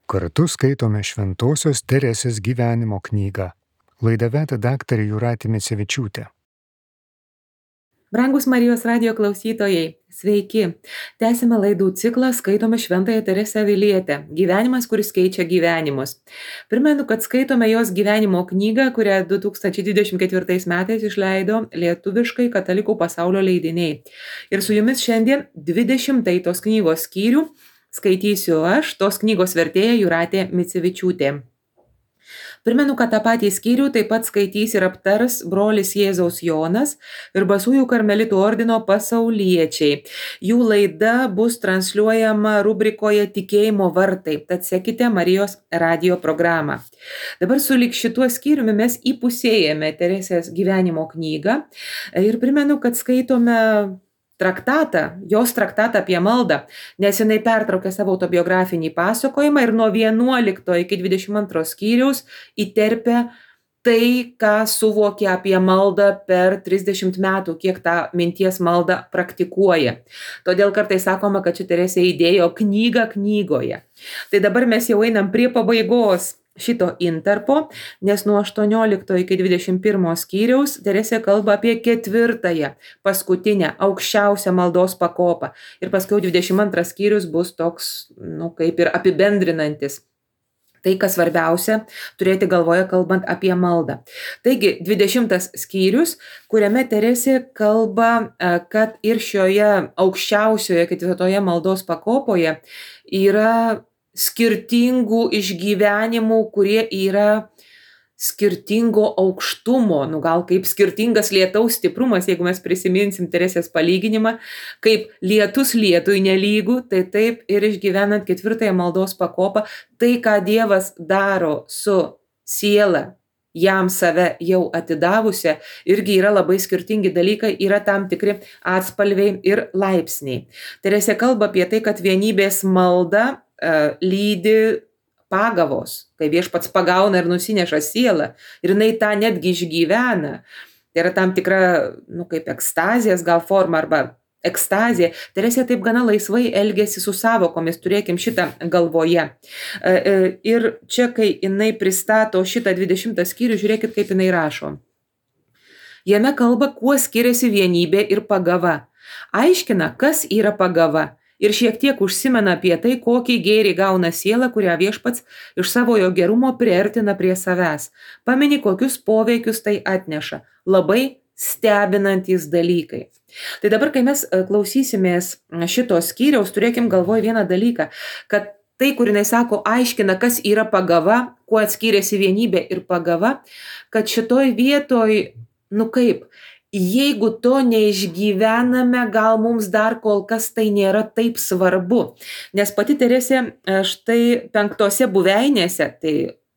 Kartu skaitome Šventosios Teresės gyvenimo knygą. Laidą veda daktarė Jūratė Micevičiūtė. Brangus Marijos radijo klausytojai, sveiki. Tęsime laidų ciklą Skaitome Šventąją Teresę Avilietę. Gyvenimas, kuris keičia gyvenimus. Primenu, kad skaitome jos gyvenimo knygą, kurią 2024 metais išleido lietuviškai Katalikų pasaulio leidiniai. Ir su jumis šiandien 20 tos knygos skyrių skaitysiu aš, tos knygos vertėja Jūratė Micevičiūtė. Primenu, kad tą patį skyrių taip pat skaitys ir aptars brolis Jėzaus Jonas ir Basųjų karmelitų ordino pasauliečiai. Jų laida bus transliuojama rubrikoje Tikėjimo vartai, tad sekite Marijos radijo programą. Dabar sulig šituo skyriumi mes įpusėjame Teresės gyvenimo knygą ir primenu, kad skaitome jos traktatą apie maldą, nes jinai pertraukė savo autobiografinį pasakojimą ir nuo 11 iki 22 skyriaus įterpia tai, ką suvokė apie maldą per 30 metų, kiek tą minties maldą praktikuoja. Todėl kartais sakoma, kad ši Teresė įdėjo knygą knygoje. Tai dabar mes jau einam prie pabaigos šito intarpo, nes nuo 18 iki 21 skyriaus Teresė kalba apie 4, paskutinę, aukščiausią maldos pakopą. Ir paskui 22 skyrius bus toks, kaip ir apibendrinantis. Tai, kas svarbiausia, turėti galvoje kalbant apie maldą. Taigi, 20 skyrius, kuriame Teresė kalba, kad ir šioje aukščiausioje 4 maldos pakopoje yra skirtingų išgyvenimų, kurie yra skirtingo aukštumo, gal kaip skirtingas lietaus stiprumas, jeigu mes prisiminsim Teresės palyginimą, kaip lietus lietui nelygų, tai taip ir išgyvenant 4 maldos pakopą, tai, ką Dievas daro su siela, jam save jau atidavusią, irgi yra labai skirtingi dalykai, yra tam tikri atspalviai ir laipsniai. Teresė kalba apie tai, kad vienybės malda lydi pagavos, kai Viešpats pagauna ir nusineša sielą ir jinai tą netgi išgyvena. Tai yra tam tikra, kaip ekstazijos gal forma arba ekstazija. Teresė taip gana laisvai elgėsi su savokomis, turėkim šitą galvoje. Ir čia, kai jinai pristato šitą 20 skyrių, žiūrėkit, kaip jinai rašo. Jame kalba, kuo skiriasi vienybė ir pagava. Aiškina, kas yra pagava. Ir šiek tiek užsimena apie tai, kokį gėrį gauna siela, kurią Viešpats iš savojo gerumo priartina prie savęs. Pamini, kokius poveikius tai atneša. Labai stebinantys dalykai. Tai dabar, kai mes klausysimės šitos skyriaus, turėkim galvoj vieną dalyką, kad tai, kur jinai sako, aiškina, kas yra pagava, kuo atskiriasi vienybė ir pagava, kad šitoj vietoj, jeigu to neišgyvename, gal mums dar kol kas tai nėra taip svarbu. Nes pati Teresė štai 5 buveinėse, tai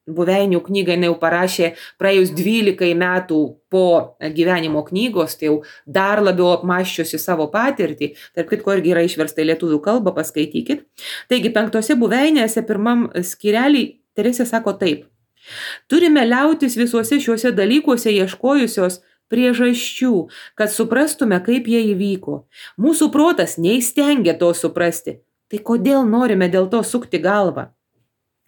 buveinių knygą jinai jau parašė praėjus 12 metų po gyvenimo knygos, tai jau dar labiau apmąsčiusi savo patirtį. Tarp kitko irgi yra išversta į lietuvių kalbą, paskaitykit. Taigi 5 buveinėse 1 skyrelį Teresė sako taip. Turime liautis visuose šiuose dalykuose ieškojusios priežasčių, kad suprastume, kaip jie įvyko. Mūsų protas neįstengia to suprasti. Tai kodėl norime dėl to sukti galvą?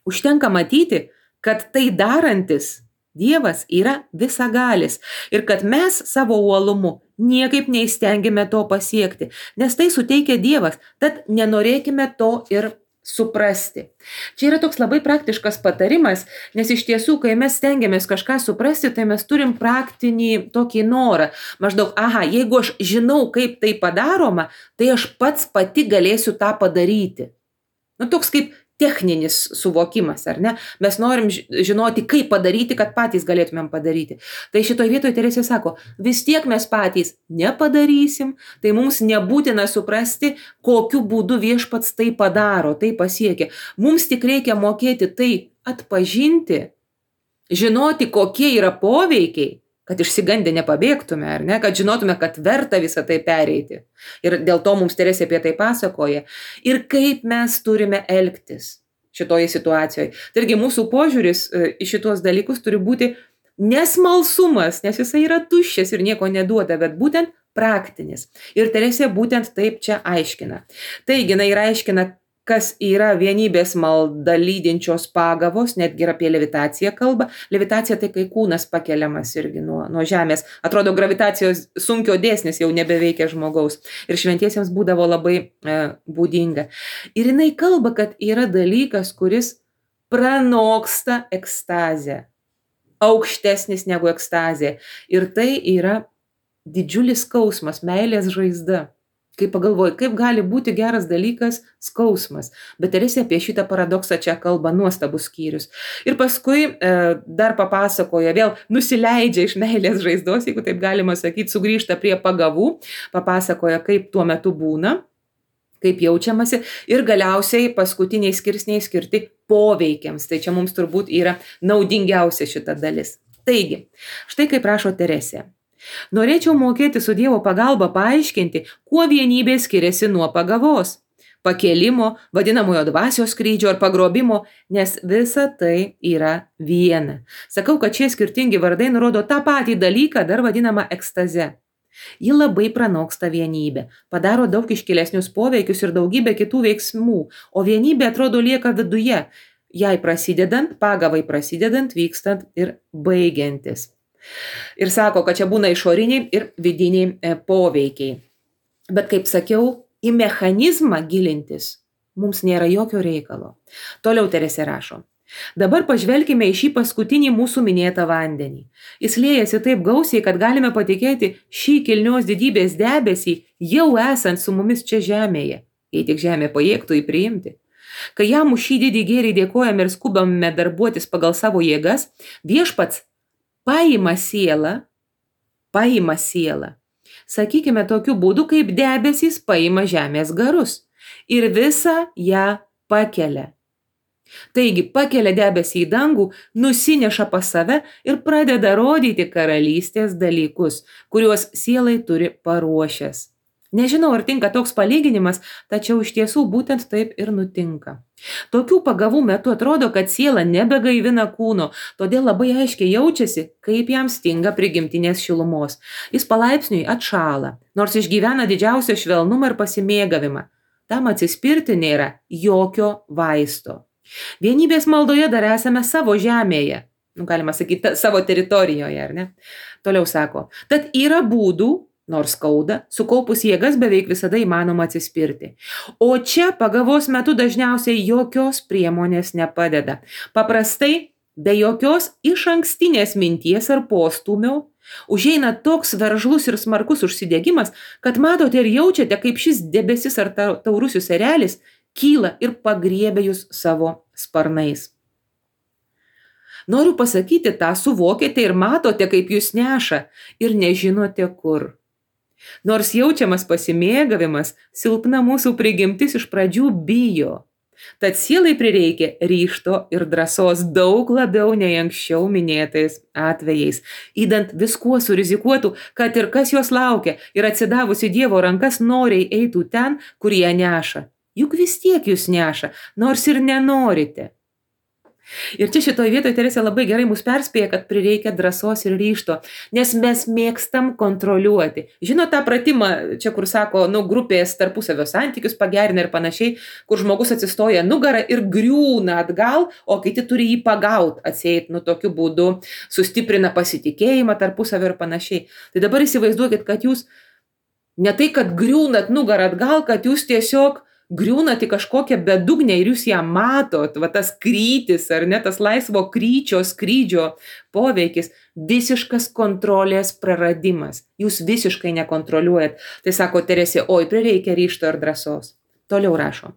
Užtenka matyti, kad tai darantis Dievas yra visagalis ir kad mes savo uolumu niekaip neįstengiame to pasiekti, nes tai suteikia Dievas, tad nenorėkime to ir suprasti. Čia yra toks labai praktiškas patarimas, nes iš tiesų, kai mes stengiamės kažką suprasti, tai mes turim praktinį tokį norą. Maždaug, jeigu aš žinau, kaip tai padaroma, tai aš pati galėsiu tą padaryti. Toks kaip techninis suvokimas, ar ne? Mes norim žinoti, kaip padaryti, kad patys galėtumėm padaryti. Tai šitoj vietoje Teresė sako, vis tiek mes patys nepadarysim, tai mums nebūtina suprasti, kokiu būdu Viešpats tai padaro, tai pasiekia. Mums tik reikia mokėti tai atpažinti, žinoti, kokie yra poveikiai, kad išsigandę nepabėgtume, ar ne, kad žinotume, kad verta visą tai pereiti. Ir dėl to mums Teresė apie tai pasakoja. Ir kaip mes turime elgtis šitoje situacijoje. Taigi mūsų požiūris į šitos dalykus turi būti nesmalsumas, nes jisai yra tuščias ir nieko neduoda, bet būtent praktinis. Ir Teresė būtent taip čia aiškina. Taigi, jinai aiškina, kas yra vienybės malda lydinčios pagavos, netgi ir apie levitaciją kalba. Levitacija tai kai kūnas pakeliamas irgi nuo žemės. Atrodo, gravitacijos sunkio dėsnis jau nebeveikia žmogaus. Ir šventiesiems būdavo labai būdinga. Ir jinai kalba, kad yra dalykas, kuris pranoksta ekstazę. Aukštesnis negu ekstazė. Ir tai yra didžiulis skausmas, meilės žaizda. Kai pagalvoju, kaip gali būti geras dalykas skausmas. Bet Teresė apie šitą paradoksą čia kalba, nuostabus skyrius. Ir paskui dar papasakoja, vėl nusileidžia iš meilės žaizdos, jeigu taip galima sakyti, sugrįžta prie pagavų, papasakoja, kaip tuo metu būna, kaip jaučiamasi ir galiausiai paskutiniai skirsniai skirti poveikiams. Tai čia mums turbūt yra naudingiausia šita dalis. Taigi, štai kaip rašo Teresė. Norėčiau mokėti su Dievo pagalba paaiškinti, kuo vienybė skiriasi nuo pagavos, pakėlimo, vadinamojo dvasios skrydžio ar pagrobimo, nes visa tai yra viena. Sakau, kad šie skirtingi vardai nurodo tą patį dalyką, dar vadinamą ekstaze. Ji labai pranoksta vienybę, padaro daug iškilesnius poveikius ir daugybę kitų veiksmų, o vienybė atrodo lieka viduje, jai prasidedant, pagavai prasidedant, vykstant ir baigiantis. Ir sako, kad čia būna išoriniai ir vidiniai poveikiai. Bet kaip sakiau, į mechanizmą gilintis mums nėra jokio reikalo. Toliau Teresė rašo. Dabar pažvelkime į šį paskutinį mūsų minėtą vandenį. Jis liejasi taip gausiai, kad galime patikėti šį kilnios didybės debesį jau esant su mumis čia žemėje, jei tik žemė pajėgtų jį priimti. Kai jam už šį didį gėrį dėkojame ir skubame darbuotis pagal savo jėgas, viešpats paima sielą, sakykime tokiu būdu, kaip debesys paima žemės garus ir visą ją pakelia. Taigi pakelia debesį į dangų, nusineša pas save ir pradeda rodyti karalystės dalykus, kuriuos sielai turi paruošęs. Nežinau, ar tinka toks palyginimas, tačiau iš tiesų būtent taip ir nutinka. Tokių pagavų metu atrodo, kad siela nebegaivina kūno, todėl labai aiškiai jaučiasi, kaip jam stinga prigimtinės šilumos. Jis palaipsniui atšąla, nors išgyvena didžiausią švelnumą ir pasimėgavimą. Tam atsispirti nėra jokio vaisto. Vienybės maldoje dar esame savo žemėje, galima sakyti, savo teritorijoje, ar ne? Toliau sako, tad yra būdų, nors skauda, sukaupus jėgas beveik visada įmanoma atsispirti. O čia pagavos metu dažniausiai jokios priemonės nepadeda. Paprastai, be jokios išankstinės minties ar postūmio, užeina toks veržlus ir smarkus užsidegimas, kad matote ir jaučiate, kaip šis debesis ar taurusis erelis kyla ir pagriebia jūs savo sparnais. Noriu pasakyti, tą suvokėte ir matote, kaip jūs neša ir nežinote kur. Nors jaučiamas pasimėgavimas, silpna mūsų prigimtis iš pradžių bijo. Tad sielai prireikia ryžto ir drąsos daug labiau nei anksčiau minėtais atvejais. Įdant viskuo surizikuotų, kad ir kas jos laukia ir atsidavusi Dievo rankas noriai eitų ten, kur ją neša. Juk vis tiek jūs neša, nors ir nenorite. Ir čia šitoje vietoje Teresė labai gerai mus perspėja, kad prireikia drąsos ir ryžto, nes mes mėgstam kontroliuoti. Žinot tą pratimą, čia kur sako, grupės tarpusavio santykius pagerina ir panašiai, kur žmogus atsistoja nugarą ir griūna atgal, o kiti turi jį pagaut, atseit, tokiu būdu sustiprina pasitikėjimą tarpusavio ir panašiai. Tai dabar įsivaizduokit, kad jūs ne tai, kad griūnat nugarą atgal, kad jūs tiesiog griūnat į kažkokią bedugnę ir jūs ją matot, tas krytis, ar ne, tas laisvo kryčio, skrydžio poveikis, visiškas kontrolės praradimas. Jūs visiškai nekontroliuojat. Tai sako Teresė, oi, prireikia ryžto ir drąsos. Toliau rašo.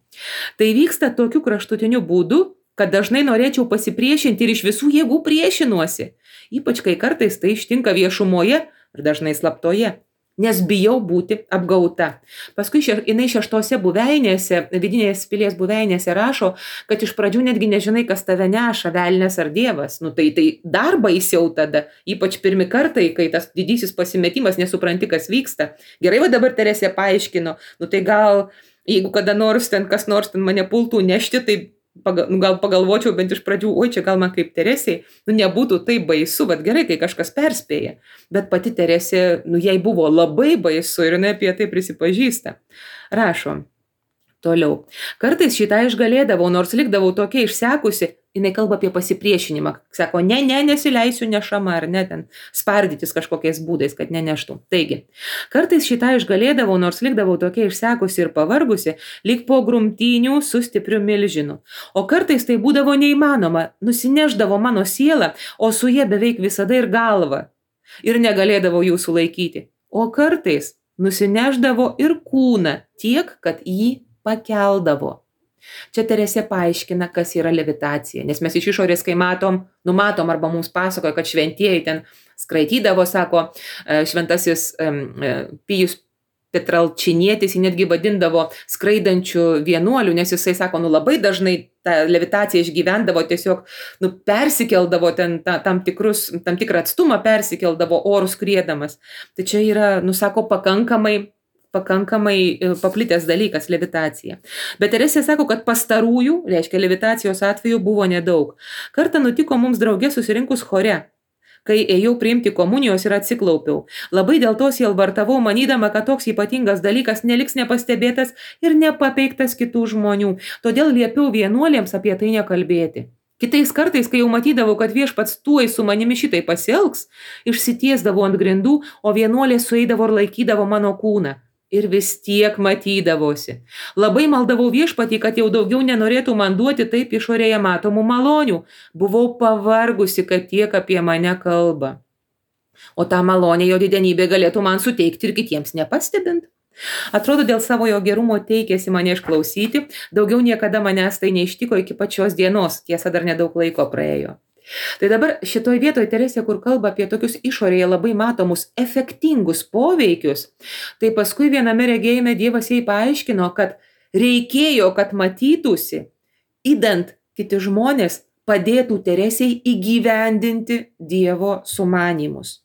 Tai vyksta tokiu kraštutiniu būdu, kad dažnai norėčiau pasipriešinti ir iš visų jėgų priešinuosi. Ypač kai kartais tai ištinka viešumoje ir dažnai slaptoje. Nes bijau būti apgauta. Paskui jinai 6 buveinėse, vidinės pilies buveinėse rašo, kad iš pradžių netgi nežinai, kas tave neša, velnias ar dievas. Tai dar baisiau tada, ypač pirmi kartai, kai tas didysis pasimetimas, nesupranti, kas vyksta. Gerai, dabar Teresė paaiškino, tai gal, jeigu kada nors kas nors mane pultų nešti, tai gal pagalvočiau bent iš pradžių, oi, čia gal man kaip Teresei, nebūtų taip baisu, bet gerai, kai kažkas perspėja. Bet pati Teresė, jai buvo labai baisu ir jinai apie tai prisipažįsta. Rašo, Toliau. Kartais šitą išgalėdavau, nors likdavau tokia išsekusi, jinai kalba apie pasipriešinimą. Sako, nesileisiu nešama, ar ne, ten spardytis kažkokiais būdais, kad neneštų. Taigi, kartais šitą išgalėdavau, nors likdavau tokia išsekusi ir pavargusi, lyg po grumtynių su stipriu milžinu. O kartais tai būdavo neįmanoma, nusineždavo mano sielą, o su jie beveik visada ir galva. Ir negalėdavo jų sulaikyti. O kartais nusineždavo ir kūną tiek, kad jį pakeldavo. Čia Teresė paaiškina, kas yra levitacija, nes mes iš išorės, kai matom arba mums pasakoja, kad šventieji ten skraidydavo, sako, šventasis Pijus Petralčinietis, jį netgi vadindavo skraidančių vienuolių, nes jisai sako, labai dažnai tą levitaciją išgyvendavo, tiesiog persikeldavo ten tam tikrą atstumą, persikeldavo orų skriedamas. Tai čia yra, sako, pakankamai paplitęs dalykas levitacija. Bet Teresė sako, kad pastarųjų, reiškia levitacijos atveju, buvo nedaug. Kartą nutiko mums drauge susirinkus chore, kai ėjau priimti komunijos ir atsiklaupiau. Labai dėl to sielvartavau, manydama, kad toks ypatingas dalykas neliks nepastebėtas ir nepapeiktas kitų žmonių. Todėl liepiau vienuolėms apie tai nekalbėti. Kitais kartais, kai jau matydavau, kad viešpats tuoj su manimi šitai pasielgs, išsitiesdavau ant grindų, o vienuolė sueidavo ir laikydavo mano kūną. Ir vis tiek matydavosi. Labai maldavau viešpatį, kad jau daugiau nenorėtų man duoti taip išorėje matomų malonių. Buvau pavargusi, kad tiek apie mane kalba. O tą malonę jo didenybė galėtų man suteikti ir kitiems nepastebint. Atrodo, dėl savo jo gerumo teikėsi mane išklausyti, daugiau niekada manęs tai neištiko iki pačios dienos, tiesa dar nedaug laiko praėjo. Tai dabar šitoj vietoj Teresė, kur kalba apie tokius išorėje labai matomus efektingus poveikius, tai paskui viename regėjime Dievas jai paaiškino, kad reikėjo, kad matytųsi, idant kiti žmonės padėtų Teresei įgyvendinti Dievo sumanymus.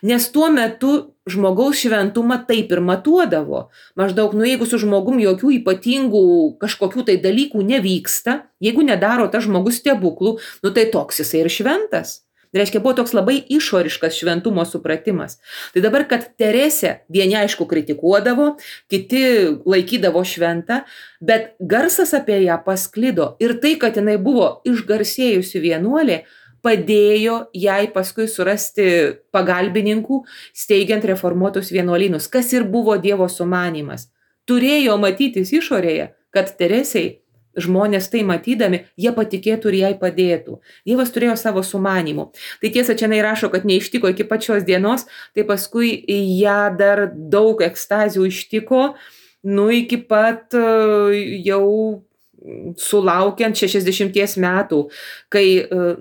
Nes tuo metu žmogaus šventumą taip ir matuodavo. Maždaug, jeigu su žmogum jokių ypatingų kažkokių tai dalykų nevyksta, jeigu nedaro tas žmogus stebuklų, tai toks jisai ir šventas. Reiškia, buvo toks labai išoriškas šventumo supratimas. Tai dabar, kad Teresė vieni aišku kritikuodavo, kiti laikydavo šventą, bet garsas apie ją pasklido ir tai, kad jinai buvo išgarsėjusi vienuolė, padėjo jai paskui surasti pagalbininkų, steigiant reformuotus vienuolynus, kas ir buvo Dievo sumanymas. Turėjo matytis išorėje, kad Teresei žmonės tai matydami, jie patikėtų ir jai padėtų. Dievas turėjo savo sumanymų. Tai tiesa, čia jinai rašo, kad neištiko iki pačios dienos, tai paskui ją dar daug ekstazių ištiko, iki pat jau sulaukiant 60 metų, kai,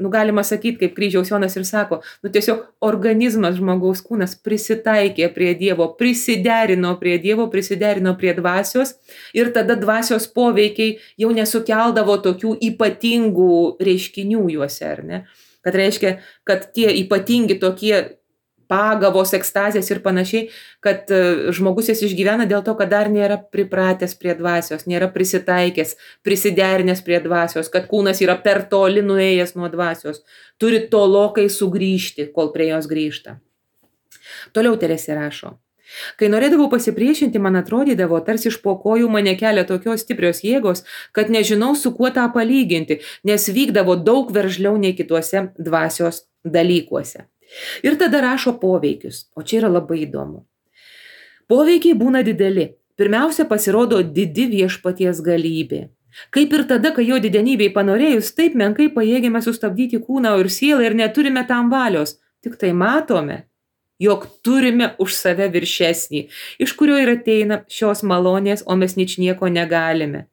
galima sakyti, kaip Kryžiaus Jonas ir sako, tiesiog organizmas, žmogaus kūnas prisitaikė prie Dievo, prisiderino prie dvasios ir tada dvasios poveikiai jau nesukeldavo tokių ypatingų reiškinių juose, ar ne? Kad reiškia, kad tie ypatingi tokie pagavos, ekstazės ir panašiai, kad žmogus jas išgyvena dėl to, kad dar nėra pripratęs prie dvasios, nėra prisitaikęs, prisiderinęs prie dvasios, kad kūnas yra per toli nuėjęs nuo dvasios, turi tolokai sugrįžti, kol prie jos grįžta. Toliau Teresė rašo. Kai norėdavau pasipriešinti, man atrodydavo, tarsi iš po kojų mane kelia tokios stiprios jėgos, kad nežinau, su kuo tą palyginti, nes vykdavo daug veržliau nei kituose dvasios dalykuose. Ir tada rašo poveikius, o čia yra labai įdomu. Poveikiai būna dideli. Pirmiausia, pasirodo didi viešpaties galybė. Kaip ir tada, kai jo didenybei panorėjus, taip menkai pajėgėme sustabdyti kūną ir sielą ir neturime tam valios. Tik tai matome, jog turime už save viršesnį, iš kurio ir ateina šios malonės, o mes ničnieko negalime,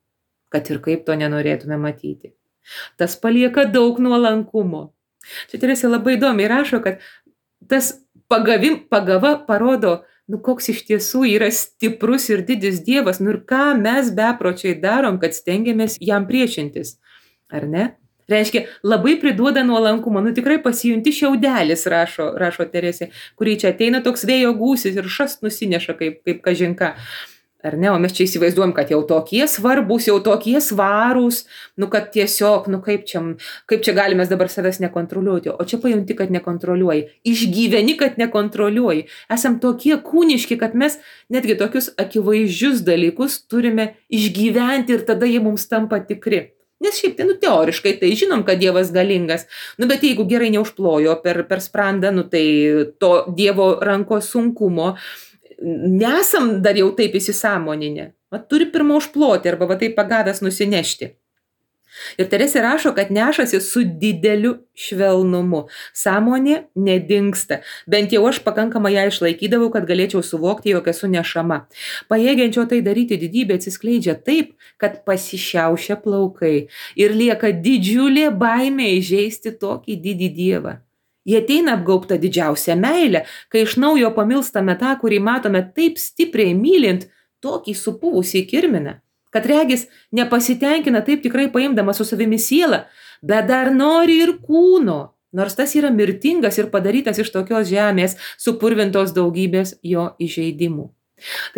kad ir kaip to nenorėtume matyti. Tas palieka daug nuolankumo. Čia Teresė labai įdomiai rašo, kad tas pagava parodo, koks iš tiesų yra stiprus ir didis Dievas, ir ką mes bepročiai darom, kad stengiamės jam priešintis, ar ne? Reiškia, labai priduoda nuolankumo, tikrai pasijunti šiaudelis, rašo Teresė, kurį čia ateina toks vėjo gūsis ir šast nusineša kaip kažinka. Ar ne? O mes čia įsivaizduojam, kad jau tokie svarbus, jau tokie svarūs, kad tiesiog, kaip čia galime dabar savęs nekontroliuoti. O čia pajunti, kad nekontroliuoji. Išgyveni, kad nekontroliuoji. Esam tokie kūniški, kad mes netgi tokius akivaizdžius dalykus turime išgyventi ir tada jie mums tampa tikri. Nes šiaip tai, teoriškai tai žinom, kad Dievas galingas. Bet jeigu gerai neužplojo per sprandą, tai to Dievo rankos sunkumo nesam dar jau taip įsisąmoninę. Turi pirmą užploti arba taip pagavęs nusinešti. Ir Teresė rašo, kad nešasi su dideliu švelnumu. Sąmonė nedingsta. Bent jau aš pakankamai ją išlaikydavau, kad galėčiau suvokti, jog esu nešama. Pajėgiančio tai daryti didybė atsiskleidžia taip, kad pasišiaušia plaukai ir lieka didžiulė baimė įžeisti tokį didį Dievą. Jie ateina apgaubta didžiausia meilė, kai iš naujo pamilstame tą, kurį matome taip stipriai mylint, tokį supuvusį kirminą, kad regis nepasitenkina taip tikrai paimdamas su savimi sielą, bet dar nori ir kūno, nors tas yra mirtingas ir padarytas iš tokios žemės, supurvintos daugybės jo įžeidimų.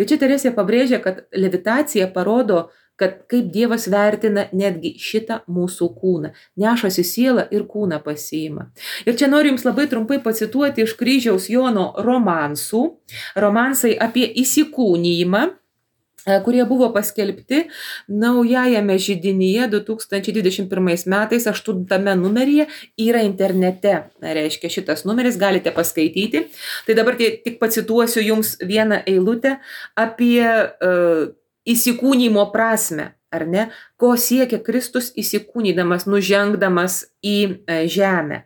Tai čia Teresė pabrėžia, kad levitacija parodo, kad kaip Dievas vertina netgi šitą mūsų kūną. Nešasi sielą ir kūną pasiima. Ir čia noriu jums labai trumpai pacituoti iš Kryžiaus Jono romansų. Romansai apie įsikūnijimą, kurie buvo paskelbti naujajame židinyje 2021 metais, 8 numeryje, yra internete. Reiškia, šitas numeris galite paskaityti. Tai dabar tik pacituosiu jums vieną eilutę apie įsikūnymo prasme, ar ne? Ko siekia Kristus įsikūnydamas, nužengdamas į žemę.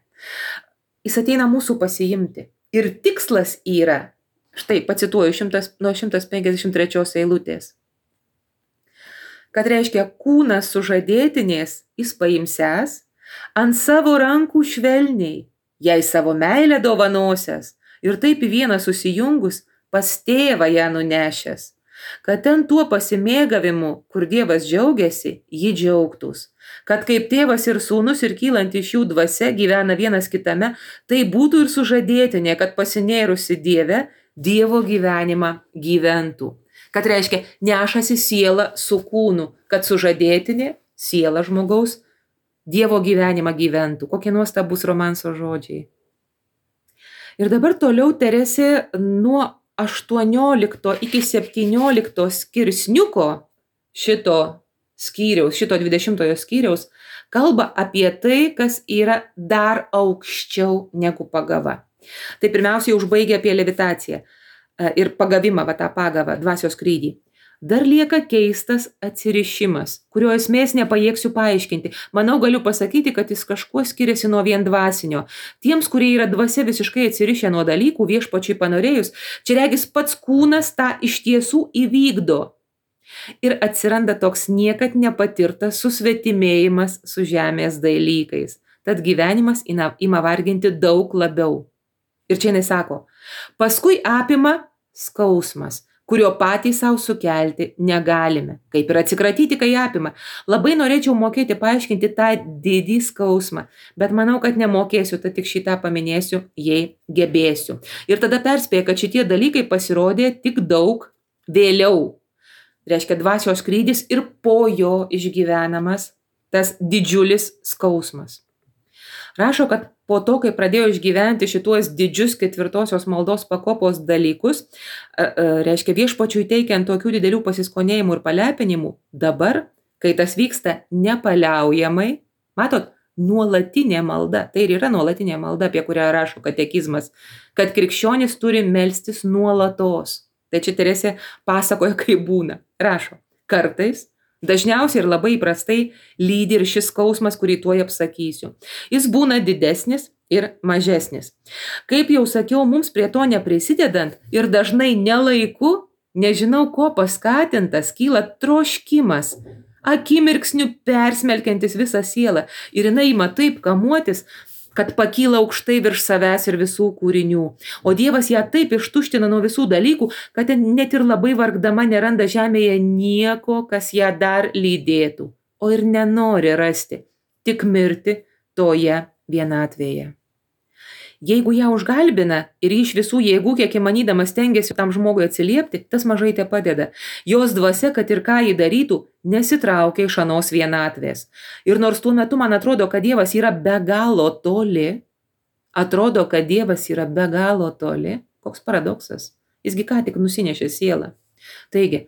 Jis ateina mūsų pasiimti. Ir tikslas yra, štai pacituoju nuo 153 eilutės, kad reiškia kūnas sužadėtinės jis paimsęs, ant savo rankų švelniai, jai savo meilę dovanosias ir taip į vieną susijungus pas tėvą ją nunešęs. Kad ten tuo pasimėgavimu, kur Dievas džiaugiasi, ji džiaugtųs. Kad kaip tėvas ir sūnus ir kylant iš jų dvasia gyvena vienas kitame, tai būtų ir sužadėtinė, kad pasinėrusi Dieve, Dievo gyvenimą gyventų. Kad reiškia, nešasi siela su kūnu, kad sužadėtinė, siela žmogaus, Dievo gyvenimą gyventų. Kokie nuostabus romanso žodžiai. Ir dabar toliau Teresė nuo 18 iki 17 skirsniuko šito skyriaus, šito 20 skyriaus, kalba apie tai, kas yra dar aukščiau negu pagava. Tai pirmiausiai užbaigia apie levitaciją ir pagavimą, tą pagavą, dvasios skrydį. Dar lieka keistas atsirišimas, kurio esmės nepajėgsiu paaiškinti. Manau, galiu pasakyti, kad jis kažkuo skiriasi nuo vien dvasinio. Tiems, kurie yra dvasia visiškai atsirišę nuo dalykų, viešpačiui panorėjus, čia regis pats kūnas tą iš tiesų įvykdo. Ir atsiranda toks niekad nepatirtas susvetimėjimas su žemės dalykais. Tad gyvenimas ima varginti daug labiau. Ir čia jinai sako, paskui apima skausmas, kurio patys savo sukelti negalime. Kaip ir atsikratyti, kai apima. Labai norėčiau mokėti paaiškinti tą didį skausmą, bet manau, kad nemokėsiu, tad tik šitą paminėsiu, jei gebėsiu. Ir tada perspėja, kad šitie dalykai pasirodė tik daug vėliau. Reiškia dvasios skrydis ir po jo išgyvenamas tas didžiulis skausmas. Rašo, kad po to, kai pradėjo išgyventi šituos didžius 4 maldos pakopos dalykus, reiškia viešpačiui teikiant tokių didelių pasiskonėjimų ir palepinimų, dabar, kai tas vyksta nepaliaujamai, matot, nuolatinė malda, tai ir yra nuolatinė malda, apie kurią rašo katekizmas, kad krikščionis turi melstis nuolatos. Tai čia Teresė pasakoja, kaip būna. Rašo, kartais, dažniausiai ir labai įprastai lydi ir šis skausmas, kurį tuoj apsakysiu. Jis būna didesnis ir mažesnis. Kaip jau sakiau, mums prie to neprisidedant ir dažnai nelaiku, nežinau ko paskatintas, kyla troškimas, akimirksniu persmelkiantis visą sielą ir jinai ima taip kamuotis, kad pakyla aukštai virš savęs ir visų kūrinių. O Dievas ją taip ištuština nuo visų dalykų, kad net ir labai vargdama neranda žemėje nieko, kas ją dar lydėtų. O ir nenori rasti, tik mirti toje vienatvėje. Jeigu ją užgalbina ir iš visų jėgų, kiek įmanydamas stengiasi tam žmogui atsiliepti, tas mažai te padeda. Jos dvasia, kad ir ką jį darytų, nesitraukia iš anos vienatvės. Ir nors tuo metu man atrodo, kad Dievas yra be galo toli, koks paradoksas, jisgi ką tik nusinešė sielą. Taigi,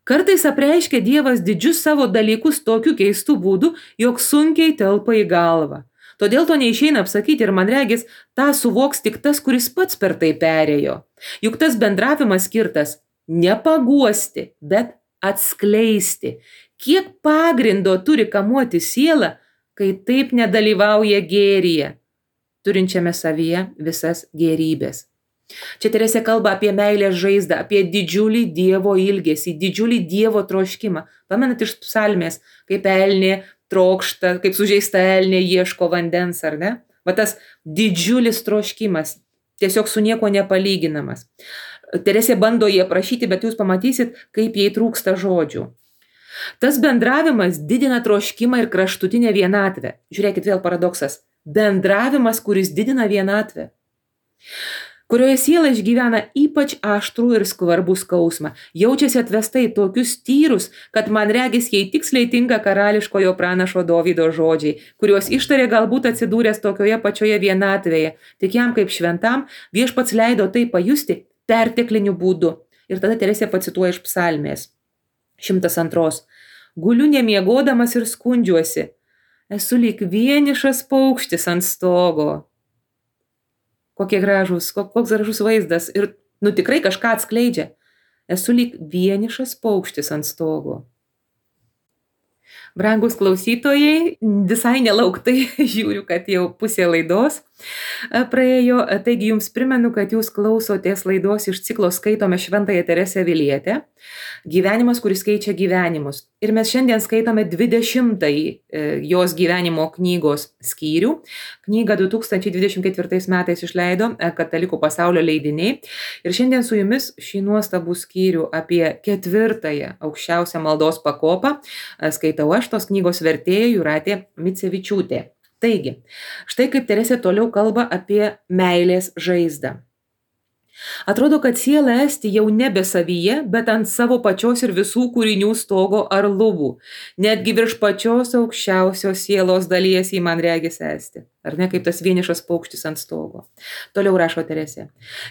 kartais apreiškia Dievas didžius savo dalykus tokiu keistu būdu, jog sunkiai telpa į galvą. Todėl to neišeina apsakyti ir man regis, tą suvoks tik tas, kuris pats per tai perėjo. Juk tas bendravimas skirtas ne paguosti, bet atskleisti. Kiek pagrindo turi kamuoti sielą, kai taip nedalyvauja gėryje, turinčiame savyje visas gėrybės. Čia Teresė kalba apie meilės žaizdą, apie didžiulį Dievo ilgesį, didžiulį Dievo troškimą. Pamenat iš psalmės, kaip elnė trokšta, kaip sužeista elnė ieško vandens, ar ne? Va tas didžiulis troškimas, tiesiog su nieko nepalyginamas. Teresė bando jį aprašyti, bet jūs pamatysit, kaip jai trūksta žodžių. Tas bendravimas didina troškimą ir kraštutinę vienatvę. Žiūrėkit, vėl paradoksas. Bendravimas, kuris didina vienatvę, kurioje siela išgyvena ypač aštrų ir skvarbų skausmą, jaučiasi atvesta į tokius tyrus, kad man regis jai tiksliai tinka karališkojo pranašo Dovydo žodžiai, kuriuos ištarė galbūt atsidūręs tokioje pačioje vienatvėje, tik jam kaip šventam Viešpats leido tai pajusti pertekliniu būdu. Ir tada Teresė pacituoja iš psalmės 102. Guliu nemiegodamas ir skundžiuosi, esu lyg vienišas paukštis ant stogo. Koks gražus vaizdas ir, tikrai kažką atskleidžia. Esu lyg vienišas paukštis ant stogo. Brangus klausytojai, visai nelauktai žiūriu, kad jau pusė laidos praėjo, taigi jums primenu, kad jūs klausotės laidos iš ciklo Skaitome Šventąją Teresę Avilietę, Gyvenimas, kuris keičia gyvenimus. Ir mes šiandien skaitome 20 jos gyvenimo knygos skyrių. Knygą 2024 metais išleido Katalikų pasaulio leidiniai. Ir šiandien su jumis šį nuostabų skyrių apie 4 aukščiausią maldos pakopą skaitau aš, tos knygos vertėja Jūratė Micevičiūtė. Taigi, štai kaip Teresė toliau kalba apie meilės žaizdą. Atrodo, kad siela esti jau nebe savyje, bet ant savo pačios ir visų kūrinių stogo ar lubų. Netgi virš pačios aukščiausios sielos dalies į man regis esti. Ar ne, kaip tas vienišas paukštis ant stogo. Toliau rašo Teresė.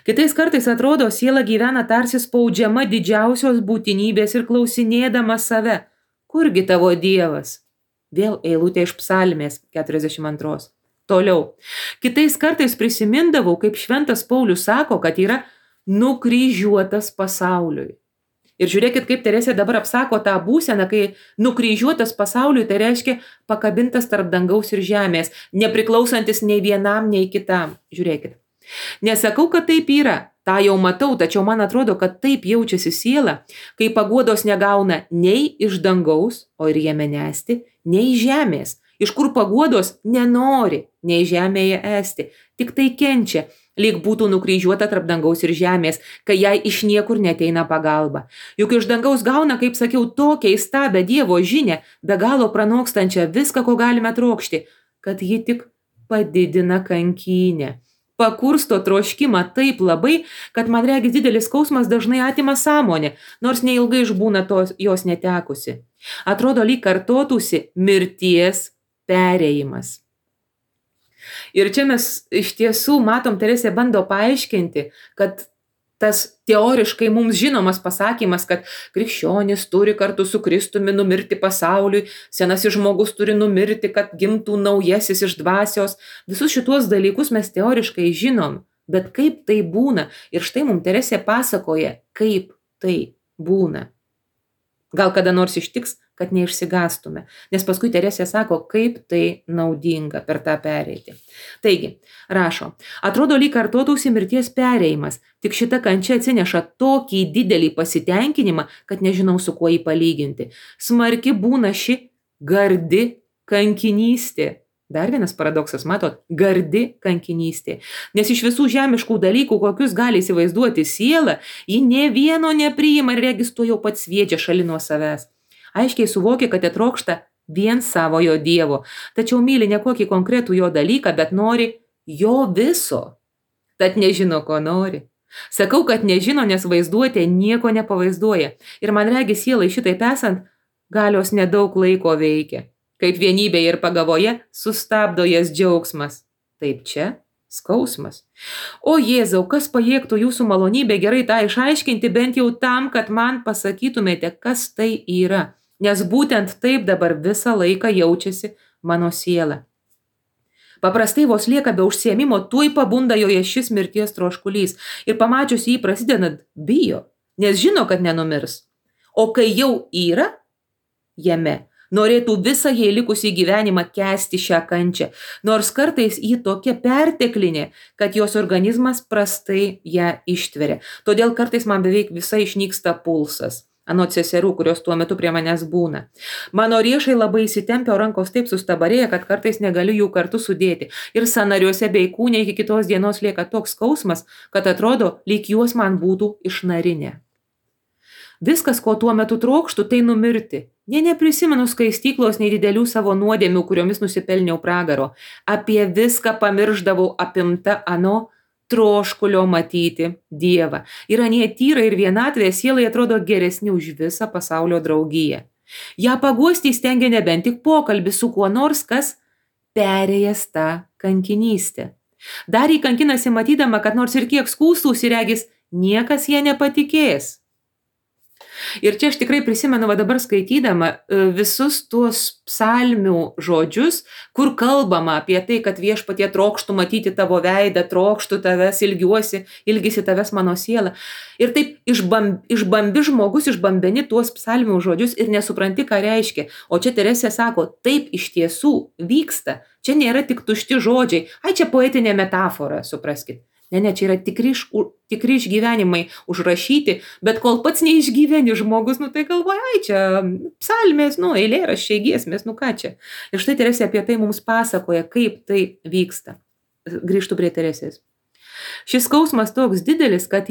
Kitais kartais atrodo, siela gyvena tarsi spaudžiama didžiausios būtinybės ir klausinėdama save. Kurgi tavo Dievas? Vėl eilutė iš psalmės 42. Toliau. Kitais kartais prisimindavau, kaip šventas Paulius sako, kad yra nukryžiuotas pasauliui. Ir žiūrėkit, kaip Teresė dabar apsako tą būseną, kai nukryžiuotas pasauliui, tai reiškia pakabintas tarp dangaus ir žemės, nepriklausantis nei vienam, nei kitam. Žiūrėkit. Nesakau, kad taip yra, tą jau matau, tačiau man atrodo, kad taip jaučiasi siela, kai paguodos negauna nei iš dangaus, o ir jame nesti, nei žemės. Iš kur paguodos nenori nei žemėje esti, tik tai kenčia, lyg būtų nukryžiuota tarp dangaus ir žemės, kai jai iš niekur neteina pagalba. Juk iš dangaus gauna, kaip sakiau, tokią įstabią Dievo žinią, be galo pranokstančią viską, ko galime trokšti, kad ji tik padidina kankynę. Pakursto troškimą taip labai, kad man regis didelis skausmas dažnai atima sąmonę, nors neilgai išbūna jos netekusi. Atrodo, lyg kartotųsi mirties perėjimas. Ir čia mes iš tiesų matom, Teresė bando paaiškinti, kad tas teoriškai mums žinomas pasakymas, kad krikščionis turi kartu su Kristumi numirti pasauliui, senasis žmogus turi numirti, kad gimtų naujasis iš dvasios. Visus šituos dalykus mes teoriškai žinom, bet kaip tai būna? Ir štai mums Teresė pasakoja, kaip tai būna. Gal kada nors ištiks, kad neišsigastume, nes paskui Teresė sako, kaip tai naudinga per tą pereiti. Taigi, rašo, atrodo, lyg kartotųsi mirties perėjimas, tik šita kančia atsineša tokį didelį pasitenkinimą, kad nežinau su kuo jį palyginti. Smarki būna ši gardi kankinystė. Dar vienas paradoksas, matot, gardi kankinystė. Nes iš visų žemiškų dalykų, kokius gali įsivaizduoti siela, ji nė vieno nepriima ir regis to jau pats sviedžia šalin nuo savęs. Aiškiai suvokia, kad trokšta vien savojo Dievo, tačiau myli ne kokį konkretų jo dalyką, bet nori jo viso, tad nežino, ko nori. Sakau, kad nežino, nes vaizduotė nieko nepavaizduoja. Ir man regis sielai šitaip esant, galios nedaug laiko veikia. Kaip vienybėje ir pagavoje sustabdo jas džiaugsmas. Taip čia skausmas. O Jėzau, kas pajėgtų jūsų malonybę gerai tą išaiškinti, bent jau tam, kad man pasakytumėte, kas tai yra. Nes būtent taip dabar visą laiką jaučiasi mano siela. Paprastai vos lieka be užsiėmimo, tuoj pabunda joje šis mirties troškulys ir pamačius jį prasidedant bijo, nes žino, kad nenumirs. O kai jau yra jame, norėtų visą jai likusį gyvenimą kęsti šią kančią, nors kartais jį tokia perteklinė, kad jos organizmas prastai ją ištveria. Todėl kartais man beveik visai išnyksta pulsas. Anot seserų, kurios tuo metu prie manęs būna. Mano riešai labai įsitempia, o rankos taip sustabarėja, kad kartais negaliu jų kartu sudėti. Ir sąnariuose bei kūne iki kitos dienos lieka toks skausmas, kad atrodo, lyg juos man būtų išnarinę. Viskas, ko tuo metu trokštų, tai numirti. Neprisimenu skaistyklos nei didelių savo nuodėmių, kuriomis nusipelniau pragaro. Apie viską pamiršdavau apimta ano troškulio matyti Dievą. Ir anie tyra ir vienatvė sielai atrodo geresni už visą pasaulio draugiją. Ja paguosti stengia nebent tik pokalbis su kuo nors, kas perėjęs tą kankinystę. Dar jį kankinasi matydama, kad nors ir kiek skųstųsi regis, niekas ją nepatikės. Ir čia aš tikrai prisimenu dabar skaitydama visus tuos psalmių žodžius, kur kalbama apie tai, kad viešpatie trokštų matyti tavo veidą, trokštų tavęs, ilgisi tavęs mano siela. Ir taip išbambi žmogus, išbambeni tuos psalmių žodžius ir nesupranti, ką reiškia. O čia Teresė sako, taip iš tiesų vyksta. Čia nėra tik tušti žodžiai. Ai, čia poetinė metafora, supraskit. Ne, čia yra tikri išgyvenimai užrašyti, bet kol pats neišgyveni žmogus, tai galvoja, ai, čia psalmės, eilėraščiai, giesmės, ką čia. Ir štai Teresė apie tai mums pasakoja, kaip tai vyksta. Grįžtu prie Teresės. Šis skausmas toks didelis, kad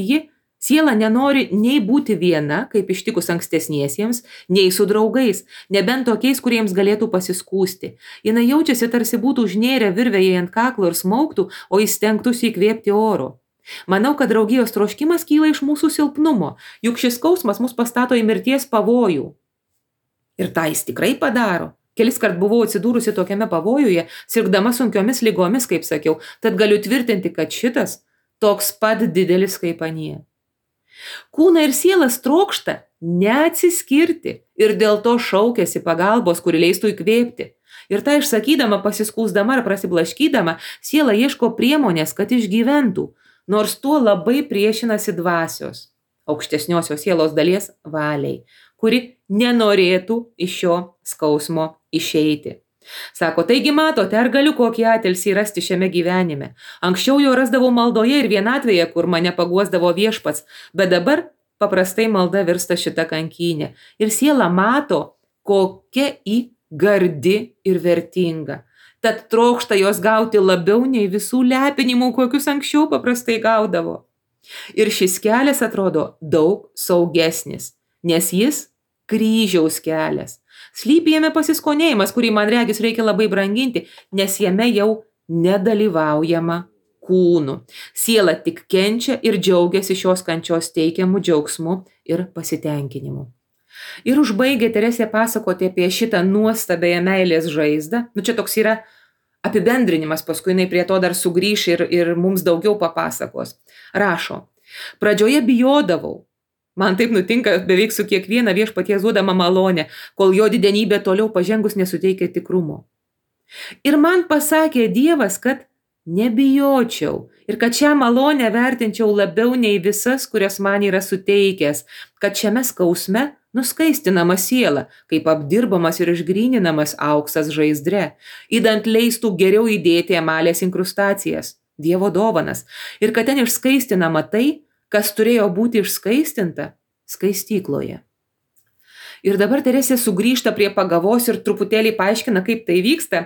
siela nenori nei būti viena, kaip ištikus ankstesniesiems, nei su draugais, nebent tokiais, kuriems galėtų pasiskųsti. Jinai jaučiasi, tarsi būtų užnėrę virvėje ant kaklo ir smaugtų, o jis stengtųsi įkvėpti oro. Manau, kad draugijos troškimas kyla iš mūsų silpnumo, juk šis skausmas mus pastato į mirties pavojų. Ir tą jis tikrai padaro. Keliskart buvau atsidūrusi tokiame pavojuje, sirgdama sunkiomis ligomis, kaip sakiau, tad galiu tvirtinti, kad šitas toks pat didelis kaip anie. Kūną ir sielas trokšta neatsiskirti ir dėl to šaukiasi pagalbos, kuri leistų įkvėpti. Ir tą išsakydama, pasiskūsdama ar prasiblaškydama, siela ieško priemonės, kad išgyventų, nors tuo labai priešinasi dvasios, aukštesniosios sielos dalies valiai, kuri nenorėtų iš šio skausmo išeiti. Sako, taigi matote, ar galiu kokį atilsį rasti šiame gyvenime. Anksčiau jo rasdavau maldoje ir vienatvėje, kur mane paguosdavo viešpats, bet dabar paprastai malda virsta šita kankynė. Ir siela mato, kokia gardi ir vertinga. Tad trokšta jos gauti labiau nei visų lepinimų, kokius anksčiau paprastai gaudavo. Ir šis kelias atrodo daug saugesnis, nes jis kryžiaus kelias. Slypi jame pasiskonėjimas, kurį man regis reikia labai branginti, nes jame jau nedalyvaujama kūnu. Siela tik kenčia ir džiaugiasi šios kančios teikiamų džiaugsmų ir pasitenkinimu. Ir užbaigė Teresė pasakoti apie šitą nuostabėją meilės žaizdą. Čia toks yra apibendrinimas, paskui jinai prie to dar sugrįš ir mums daugiau papasakos. Rašo, pradžioje bijodavau. Man taip nutinka beveik su kiekviena viešpaties duodama malonė, kol jo didenybė toliau pažengus nesuteikia tikrumo. Ir man pasakė Dievas, kad nebijočiau ir kad šią malonę vertinčiau labiau nei visas, kurias man yra suteikęs, kad šiame skausme nuskaistinama siela, kaip apdirbamas ir išgryninamas auksas žaizdre, idant leistų geriau įdėti emalės inkrustacijas, Dievo dovanas, ir kad ten išskaistinama tai, kas turėjo būti išskaistinta skaistykloje. Ir dabar Teresė sugrįžta prie pagavos ir truputėlį paaiškina, kaip tai vyksta,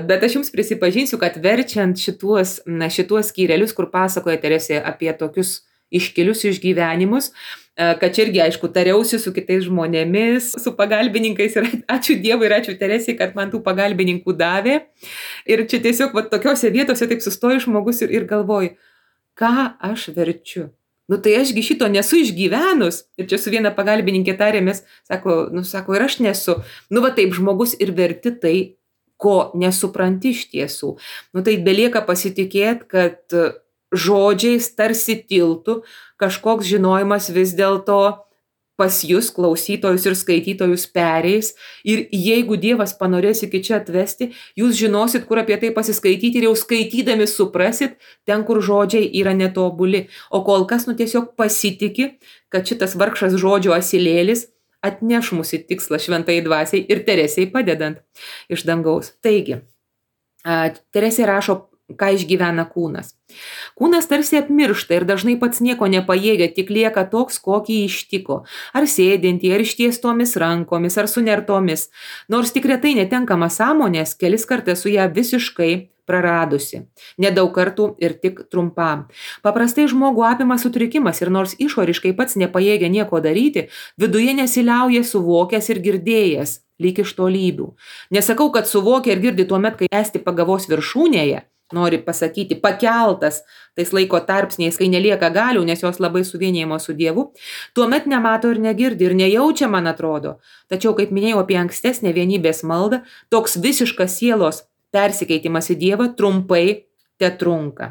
bet aš jums prisipažinsiu, kad verčiant šituos skyrelius, kur pasakoja Teresė apie tokius iškilius išgyvenimus, kad čia irgi, aišku, tariausi su kitais žmonėmis, su pagalbininkais ir ačiū Dievui ir ačiū Teresei, kad man tų pagalbininkų davė. Ir čia tiesiog tokiose vietose taip sustoja žmogus ir galvoju, ką aš verčiu. Tai ašgi šito nesu išgyvenus. Ir čia su viena pagalbininkė tarėmės, sako, ir aš nesu. Taip žmogus ir verti tai, ko nesupranti iš tiesų. Tai belieka pasitikėti, kad žodžiais tarsi tiltų kažkoks žinojimas vis dėlto pas jūs, klausytojus ir skaitytojus pereis. Ir jeigu Dievas panorės iki čia atvesti, jūs žinosit, kur apie tai pasiskaityti ir jau skaitydami suprasit ten, kur žodžiai yra netobuli. O kol kas tiesiog pasitiki, kad šitas vargšas žodžio asilėlis atneš mūsų tikslą šventai dvasiai ir Teresei padedant iš dangaus. Taigi, Teresė rašo, ką išgyvena kūnas. Kūnas tarsi apmiršta ir dažnai pats nieko nepajėgia, tik lieka toks, kokį ištiko. Ar sėdintį, ar ištiestomis rankomis, ar sunertomis. Nors tik retai netenkama sąmonės, kelis kartus su ją visiškai praradusi. Nedaug kartų ir tik trumpam. Paprastai žmogų apima sutrikimas ir nors išoriškai pats nepajėgia nieko daryti, viduje nesiliauja suvokęs ir girdėjęs, lyg iš tolybių. Nesakau, kad suvokia ir girdi tuomet, kai esti pagavos viršūnėje, nori pasakyti, pakeltas tais laiko tarpsniais, kai nelieka galių, nes jos labai suvienijimo su Dievu, tuomet nemato ir negirdi ir nejaučia, man atrodo. Tačiau, kaip minėjau apie ankstesnę vienybės maldą, toks visiškas sielos persikeitimas į Dievą trumpai tetrunka.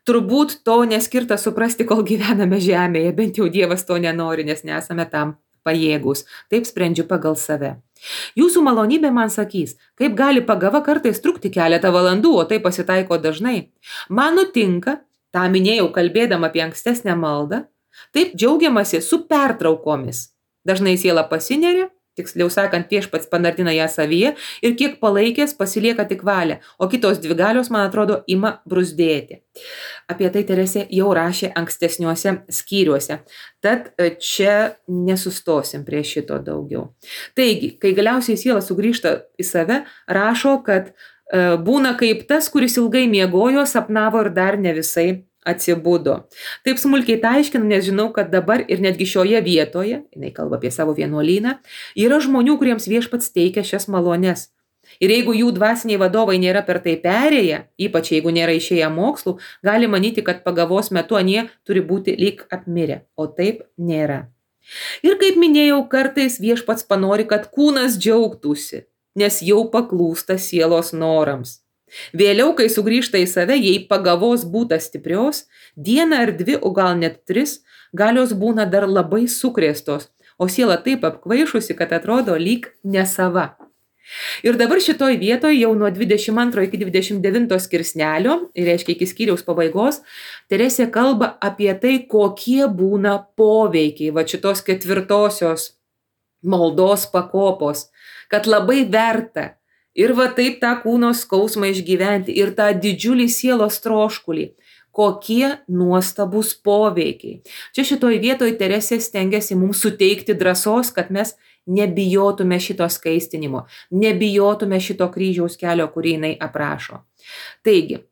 Turbūt to neskirta suprasti, kol gyvename žemėje, bent jau Dievas to nenori, nes nesame tam pajėgus. Taip sprendžiu pagal save. Jūsų malonybė man sakys, kaip gali pagava kartais trukti keletą valandų, o tai pasitaiko dažnai. Man nutinka, tą minėjau kalbėdama apie ankstesnę maldą, taip džiaugiamasi su pertraukomis. Dažnai siela pasineria, tiksliau sakant, Viešpats panardina ją savyje ir kiek palaikęs pasilieka tik valia, o kitos dvi galios, man atrodo, ima bruzdėti. Apie tai Teresė jau rašė ankstesniuose skyriuose. Tad čia nesustosim prie šito daugiau. Taigi, kai galiausiai siela sugrįžta į save, rašo, kad būna kaip tas, kuris ilgai miegojo, sapnavo ir dar ne visai atsibudo. Taip smulkiai tai aiškinu, nes žinau, kad dabar ir netgi šioje vietoje, jinai kalba apie savo vienuolyną, yra žmonių, kuriems Viešpats teikia šias malones. Ir jeigu jų dvasiniai vadovai nėra per tai perėję, ypač jeigu nėra išėję mokslų, gali manyti, kad pagavos metu anie turi būti lyg apmirę, o taip nėra. Ir kaip minėjau, kartais Viešpats panori, kad kūnas džiaugtųsi, nes jau paklūsta sielos norams. Vėliau, kai sugrįžta į save, jei pagavos būta stiprios, dieną ar dvi, o gal net 3, galios būna dar labai sukrėstos, o siela taip apkvaišusi, kad atrodo lyg nesava. Ir dabar šitoj vietoje jau nuo 22 iki 29 skirsnelio, ir reiškia iki skyriaus pabaigos, Teresė kalba apie tai, kokie būna poveikiai šitos 4 maldos pakopos, kad labai verta ir taip tą kūno skausmą išgyventi ir tą didžiulį sielos troškulį. Kokie nuostabus poveikiai. Čia šitoj vietoj Teresė stengiasi mums suteikti drąsos, kad mes nebijotume šito skaistinimo, nebijotume šito kryžiaus kelio, kurį jinai aprašo. Taigi,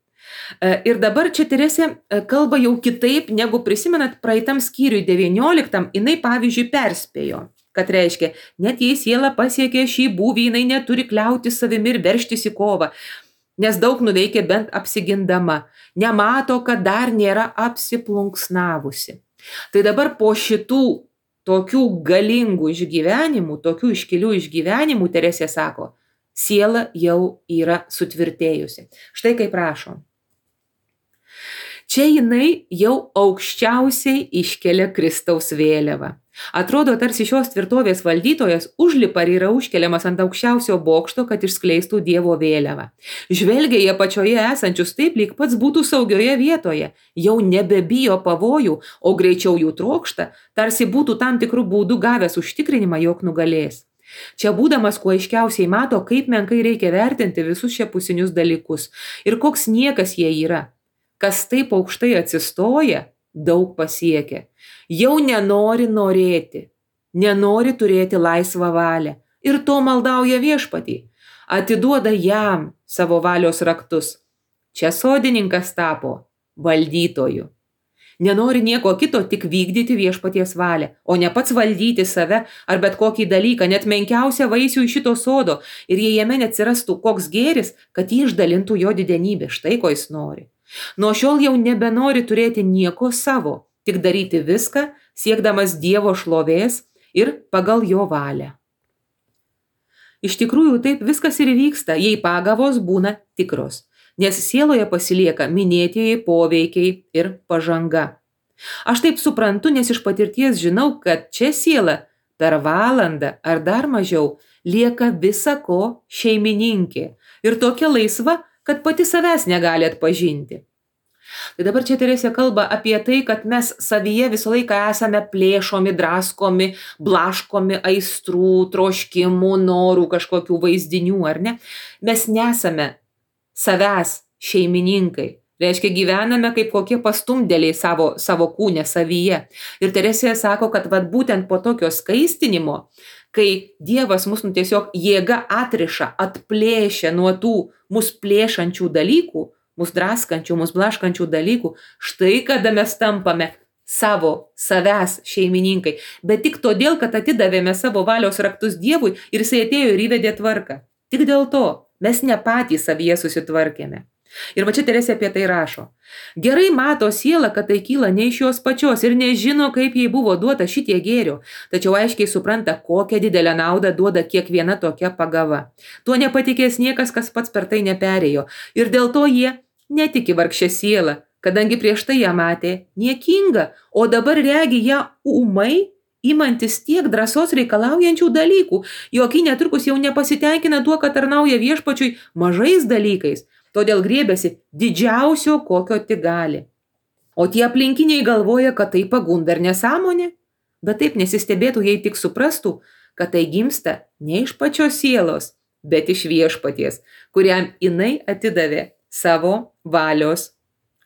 ir dabar čia Teresė kalba jau kitaip, negu prisimenat praeitam skyriui 19, jinai pavyzdžiui perspėjo. Kad reiškia, net jei siela pasiekė šį būvį, jinai neturi kliauti savimi ir veržtis į kovą, nes daug nuveikė bent apsigindama, nemato, kad dar nėra apsiplunksnavusi. Tai dabar po šitų tokių galingų išgyvenimų, tokių iškilių išgyvenimų, Teresė sako, siela jau yra sutvirtėjusi. Štai kaip rašo. Čia jinai jau aukščiausiai iškelia Kristaus vėliavą. Atrodo, tarsi šios tvirtovės valdytojas užlipa ir yra užkeliamas ant aukščiausio bokšto, kad išskleistų Dievo vėliavą. Žvelgia į apačioje esančius taip, lyg pats būtų saugioje vietoje, jau nebebijo pavojų, o greičiau jų trokšta, tarsi būtų tam tikrų būdų gavęs užtikrinimą, jog nugalės. Čia būdamas kuo aiškiausiai mato, kaip menkai reikia vertinti visus šiapusinius dalykus ir koks niekas jie yra. Kas taip aukštai atsistoja, daug pasiekia. Jau nenori norėti, nenori turėti laisvą valią ir to maldauja Viešpatį. Atiduoda jam savo valios raktus. Čia sodininkas tapo valdytoju. Nenori nieko kito, tik vykdyti viešpaties valią, o ne pats valdyti save ar bet kokį dalyką, net menkiausią vaisių iš šito sodo, ir jei jame neatsirastų koks gėris, kad jį išdalintų jo didenybė. Štai ko jis nori. Nuo šiol jau nebenori turėti nieko savo, tik daryti viską, siekdamas Dievo šlovės ir pagal jo valią. Iš tikrųjų, taip viskas ir vyksta, jei pagavos būna tikros, nes sieloje pasilieka minėtieji poveikiai ir pažanga. Aš taip suprantu, nes iš patirties žinau, kad čia siela per valandą ar dar mažiau lieka visa ko šeimininkė ir tokia laisva, kad pati savęs negali atpažinti. Tai dabar čia Teresė kalba apie tai, kad mes savyje visą laiką esame plėšomi, draskomi, blaškomi aistrų, troškimų, norų, kažkokių vaizdinių, ar ne? Mes nesame savęs šeimininkai. Reiškia, gyvename kaip kokie pastumdėliai savo kūne, savyje. Ir Teresė sako, kad būtent po tokio skaistinimo, kai Dievas mus tiesiog jėga atriša, atplėšia nuo tų mus plėšančių dalykų, mus draskančių, mus blaškančių dalykų, štai kada mes tampame savęs šeimininkai. Bet tik todėl, kad atidavėme savo valios raktus Dievui ir jisai atėjo ir įvedė tvarką. Tik dėl to mes ne patys savyje susitvarkėme. Ir va čia Teresė apie tai rašo. Gerai mato siela, kad tai kyla ne iš jos pačios ir nežino, kaip jai buvo duota šitie gėrio, tačiau aiškiai supranta, kokią didelę naudą duoda kiekviena tokia pagava. Tuo nepatikės niekas, kas pats per tai neperėjo. Ir dėl to jie netiki vargšę sielą, kadangi prieš tai ją matė niekinga, o dabar regi ją ūmai, imantis tiek drąsos reikalaujančių dalykų, jog ji netrukus jau nepasitenkina tuo, kad tarnauja viešpačiui mažais dalykais, todėl griebėsi didžiausio, kokio tik gali. O tie aplinkiniai galvoja, kad tai pagunda ir nesąmonė, bet taip nesistebėtų, jei tik suprastų, kad tai gimsta ne iš pačios sielos, bet iš viešpaties, kuriam jinai atidavė savo valios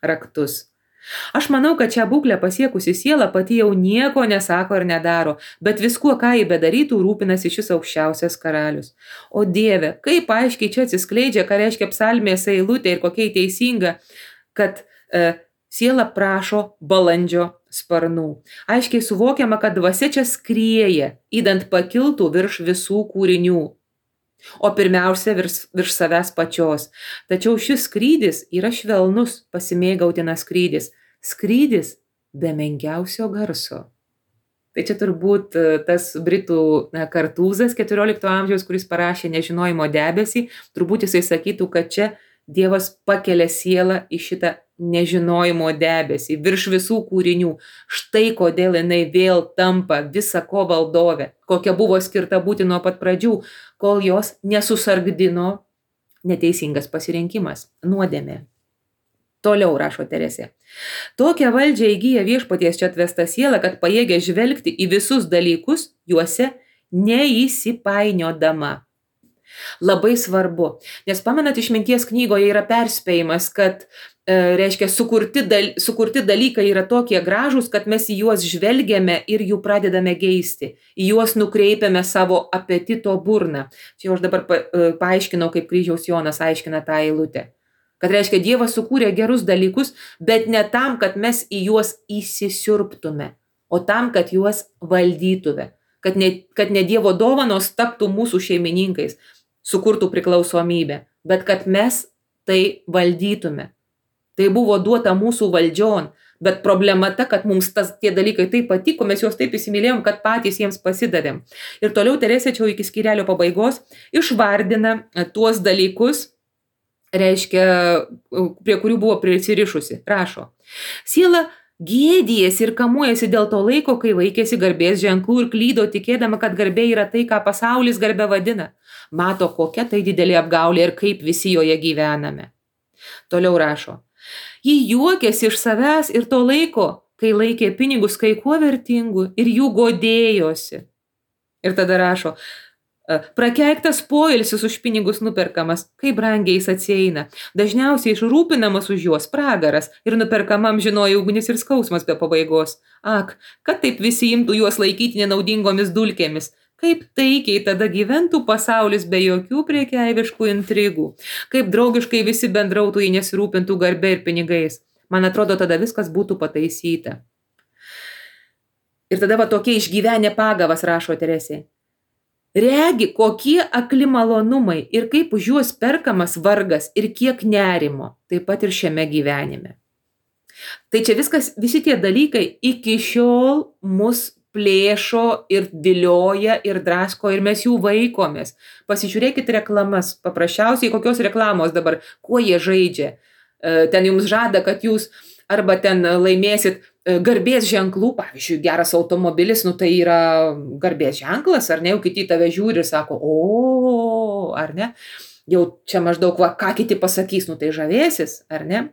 raktus. Aš manau, kad šią būklę pasiekusi siela pati jau nieko nesako ir nedaro, bet viskuo, ką jį bedarytų, rūpinasi šis aukščiausias karalius. O Dieve, kaip aiškiai čia atsiskleidžia, ką reiškia psalmės eilutė ir kokia teisinga, kad siela prašo balandžio sparnų. Aiškiai suvokiama, kad dvasia čia skrieja, idant pakiltų virš visų kūrinių. O pirmiausia virš savęs pačios. Tačiau šis skrydis yra švelnus, pasimėgautinas skrydis. Skrydis be menkiausio garso. Tai čia turbūt tas britų Kartūzas 14 amžiaus, kuris parašė Nežinojimo debesį, turbūt jisai sakytų, kad čia Dievas pakelia sielą į šitą nežinojimo debesį, virš visų kūrinių. Štai kodėl jinai vėl tampa visa ko valdove, kokia buvo skirta būti nuo pat pradžių, kol jos nesusargdino neteisingas pasirinkimas, nuodėmė. Toliau rašo Teresė. Tokią valdžią įgyja viešpaties čia atvesta siela, kad pajėgia žvelgti į visus dalykus, juose neįsipainiodama. Labai svarbu, nes pamenat, Išminties knygoje yra perspėjimas, kad reiškia, sukurti dalykai yra tokie gražūs, kad mes į juos žvelgiame ir jų pradedame geisti, į juos nukreipiame savo apetito burną. Čia aš dabar paaiškinau, kaip Kryžiaus Jonas aiškina tą eilutę. Kad reiškia, Dievas sukūrė gerus dalykus, bet ne tam, kad mes į juos įsisiurbtume, o tam, kad juos valdytume, kad ne Dievo dovanos taptų mūsų šeimininkais, sukurtų priklausomybę, bet kad mes tai valdytume. Tai buvo duota mūsų valdžion, bet problema ta, kad mums tie dalykai taip patiko, mes juos taip įsimylėjom, kad patys jiems pasidavėm. Ir toliau Teresė čia iki skyrelio pabaigos išvardina tuos dalykus, reiškia, prie kurių buvo prisirišusi. Rašo, siela gėdijasi ir kamuojasi dėl to laiko, kai vaikėsi garbės ženklų ir klydo, tikėdama, kad garbė yra tai, ką pasaulis garbė vadina. Mato, kokia tai didelė apgaulė ir kaip visi joje gyvename. Toliau rašo, ji juokėsi iš savęs ir to laiko, kai laikė pinigus kai kuo vertingų ir jų godėjosi. Ir tada rašo, prakeiktas poilsis už pinigus nuperkamas, kaip brangiai jis atsieina. Dažniausiai išrūpinamas už juos pragaras ir nuperkamam žinojo ugnis ir skausmas be pabaigos. Ak, kad taip visi imtų juos laikyti nenaudingomis dulkėmis. Kaip taikiai tada gyventų pasaulis be jokių priekeiviškų intrigų. Kaip draugiškai visi bendrautų, jei nesirūpintų garbė ir pinigais. Man atrodo, tada viskas būtų pataisyta. Ir tada va tokie išgyvenę pagavas, rašo Teresė. Regi, kokie akli malonumai ir kaip už juos perkamas vargas ir kiek nerimo, taip pat ir šiame gyvenime. Tai čia viskas, visi tie dalykai iki šiol mus plėšo ir vilioja ir drasko ir mes jų vaikomės. Pasižiūrėkit reklamas, paprasčiausiai kokios reklamos dabar, kuo jie žaidžia. Ten jums žada, kad jūs arba ten laimėsit garbės ženklų, pavyzdžiui, geras automobilis, tai yra garbės ženklas, ar ne, jau kiti tave žiūri ir sako, o, ar ne, jau čia maždaug, ką kiti pasakys, tai žavėsis, ar ne.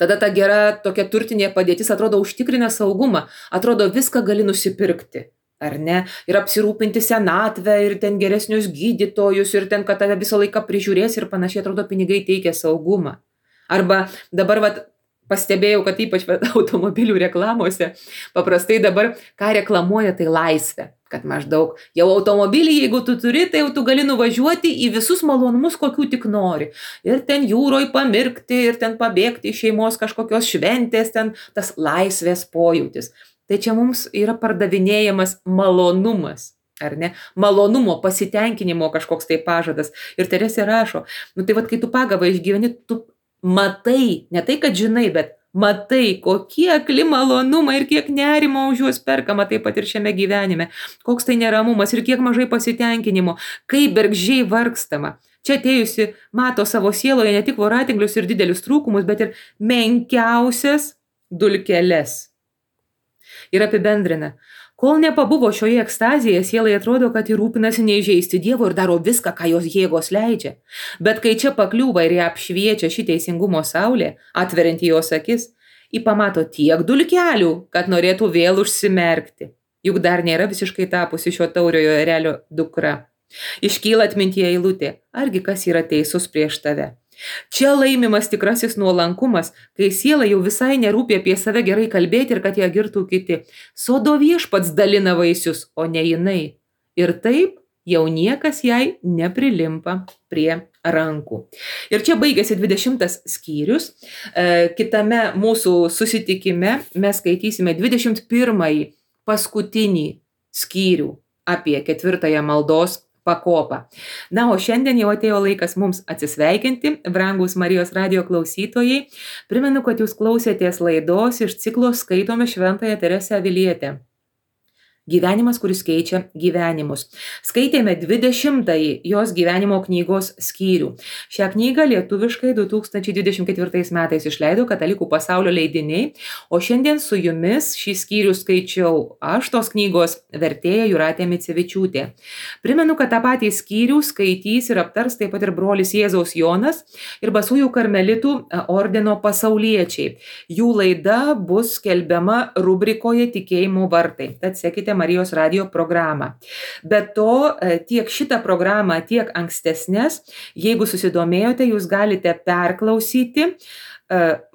Tada ta gera tokia turtinė padėtis atrodo užtikrina saugumą, atrodo viską gali nusipirkti, ar ne, ir apsirūpinti senatvę, ir ten geresnius gydytojus, ir ten, kad tave visą laiką prižiūrės ir panašiai, atrodo pinigai teikia saugumą. Arba dabar pastebėjau, kad ypač automobilių reklamose paprastai dabar, ką reklamuoja, tai laisvę. Kad maždaug jau automobilį, jeigu tu turi, tai jau tu gali nuvažiuoti į visus malonumus, kokių tik nori. Ir ten jūroj pamirkti, ir ten pabėgti iš šeimos kažkokios šventės, ten tas laisvės pojūtis. Tai čia mums yra pardavinėjamas malonumas, ar ne? Malonumo, pasitenkinimo kažkoks tai pažadas. Ir Teresė rašo, tai kai tu pagavą išgyveni, tu matai, ne tai, kad žinai, bet matai, kokie akli malonumai ir kiek nerimo už juos perkama, taip pat ir šiame gyvenime. Koks tai neramumas ir kiek mažai pasitenkinimo, kaip bergždžiai vargstama. Čia atėjusi mato savo sieloje ne tik voratinglius ir didelius trūkumus, bet ir menkiausias dulkeles. Ir apibendrina. Kol nepabuvo šioje ekstazėje, sielai atrodo, kad ji rūpinasi neįžeisti Dievo ir daro viską, ką jos jėgos leidžia. Bet kai čia pakliūva ir ją apšviečia ši teisingumo saulė, atverianti jos akis, ji pamato tiek dulkelių, kad norėtų vėl užsimerkti. Juk dar nėra visiškai tapusi šio tauriojo erelio dukra. Iškyla atmintyje eilutė, argi kas yra teisus prieš tave. Čia laimimas tikrasis nuolankumas, kai siela jau visai nerūpi apie save gerai kalbėti ir kad ją girtų kiti. Sodo viešpats dalina vaisius, o ne jinai. Ir taip jau niekas jai neprilimpa prie rankų. Ir čia baigėsi 20 skyrius. Kitame mūsų susitikime mes skaitysime 21 paskutinį skyrių apie 4 maldos pakopą. Na, o šiandien jau atėjo laikas mums atsisveikinti, brangūs Marijos radijo klausytojai. Primenu, kad jūs klausėtės laidos iš ciklo Skaitome Šventąją Teresę Avilietę. Gyvenimas, kuris keičia gyvenimus. Skaitėme 20-ąjį jos gyvenimo knygos skyrių. Šią knygą lietuviškai 2024 metais išleido Katalikų pasaulio leidiniai, o šiandien su jumis šį skyrių skaičiau aš, tos knygos vertėja Jūratė Micevičiūtė. Primenu, kad tą patį skyrių skaitys ir aptars taip pat ir brolis Jėzaus Jonas ir Basųjų karmelitų ordino pasauliečiai. Jų laida bus skelbiama rubrikoje Tikėjimo vartai. Tad sekite Marijos radijo programą. Be to, tiek šitą programą, tiek ankstesnės, jeigu susidomėjote, jūs galite perklausyti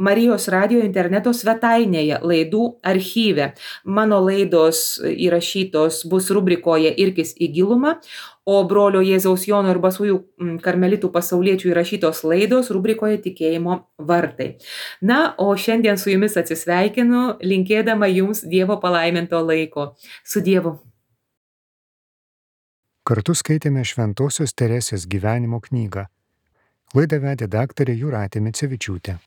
Marijos radijo interneto svetainėje laidų archyve. Mano laidos įrašytos bus rubrikoje Irkis į gilumą, o brolio Jėzaus Jono ir Basųjų karmelitų pasauliečių įrašytos laidos rubrikoje Tikėjimo vartai. Na, o šiandien su jumis atsisveikinu, linkėdama jums Dievo palaiminto laiko. Su Dievu. Kartu skaitėme Šventosios Teresės gyvenimo knygą. Laidą vedė daktarė Jūratė Micevičiūtė.